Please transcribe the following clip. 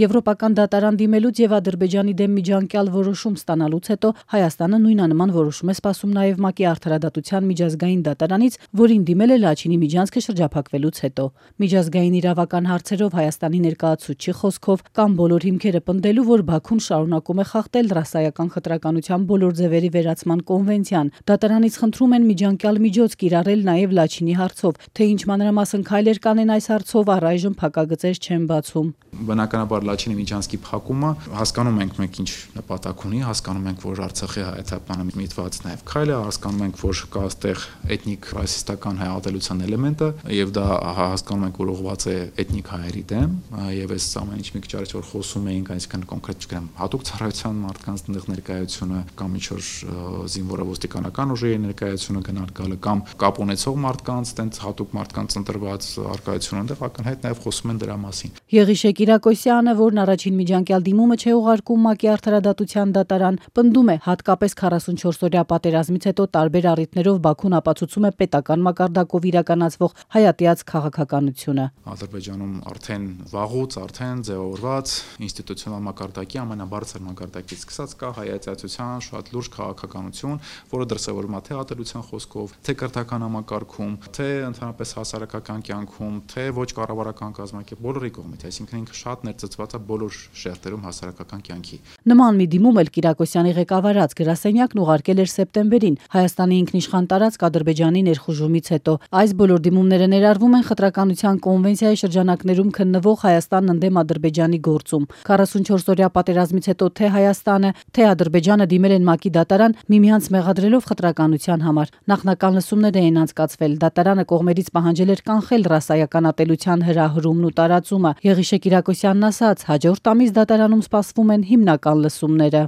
Եվրոպական դատարան դիմելուց եւ Ադրբեջանի դեմ միջանկյալ որոշում ստանալուց հետո Հայաստանը նույնանման որոշում է սպասում նաեւ ՄԱԿ-ի արդարադատության միջազգային դատարանից, որին դիմել է Լաչինի միջանցքը շրջափակվելուց հետո։ Միջազգային իրավական հարցերով Հայաստանի ներկայացուցչի խոսքով կան բոլոր հիմքերը պնդելու, որ Բաքուն շարունակում է խախտել ռասայական խտրականության բոլոր ձևերի վերացման կոնվենցիան։ Դատարանից խնդրում են միջանկյալ միջոց կիրառել նաեւ Լաչինի հարցով, թե ինչ մանրամասն քայլեր կանեն այս հարցով առայժմ փակագծեր չեն բացում։ Բնականաբար Լաչինի միջանցքի փակումը հասկանում ենք մենք ինչ նպատակ ունի, հասկանում ենք, որ Արցախի հայեցականը միտված նաև քայլ է, հասկանում ենք, որ կա այստեղ էթնիկ ռասիստական հայատելության էլեմենտը եւ դա հասկանում ենք, որ ուղղված է էթնիկ հայերի դեմ եւ այս ամեն ինչ մի քիչ առաջ որ խոսում էինք, այսինքն կոնկրետ չգիտեմ, հատուկ ծառայության մարդկանց ներկայությունը կամ ինչ-որ զինվորը ոստիկանական ուժերի ներկայությունը գնալ գալը կամ կապ ունեցող մարդկանց, տենց հատուկ մարդկանց ընտրված արկայությունը, այնտեղ ակնհայտ նաև խոսում են դրա մասին։ Եղիշե Կիրակոսյանը, որն առաջին միջանկյալ դիմումը չէ ուղարկում ՄԱԿ-ի արդարադատության դատարան, պնդում է, հատկապես 44-օրյա պատերազմից հետո տարբեր առիթներով Բաքուն ապացուցում է պետական մակարդակով իրականացվող հայատյաց քաղաքականությունը։ Ադրբեջանում արդեն վաղուց ձևավորված ինստիտուցիոնալ մակարդակի ամենաբարձր մակարդակից սկսած կա հայատյացության շատ լուրջ քաղաքականություն, որը դրսևորվում է թե ատելության խոսքով, թե կրթական համակարգում, թե ընդհանրապես հասարակական կյանքում, թե ոչ կառավարական կազմակերպ բոլորի կողմից, այսինքն ինքը շատ ներծծված է բոլոր շերտերում հասարակական կյանքի։ Նման մի դիմում էլ Կիրակոսյանի ղեկավարած գրասենյակն ուղարկել էր սեպտեմբերին Հայաստանի ինքնիշխան տարածք Ադրբեջանի ներխուժումից հետո։ Այս բոլոր դիմումները ներառվում են խտրականության կոնվենցիայի շրջանակներում քննվող Հայաստանն ընդդեմ Ադրբեջանի գործում։ 44-օրյա պատերազմից հետո թե Հայաստանը, թե Ադրբեջանը դիմել են ՄԱԿ-ի դատարան միմյանց մեղադրելով խտրականության համար։ Նախնական լսումներ էին անցկացվել։ Դատարանը կողմերից պահանջել էր կանխել ռասայական ատելության հրահրումն ու տարածումը։ Եղիշե Կիրակոսյանն ասաց, հաջորդ ամիս դատարանում սպասվում են հիմնական լսումները։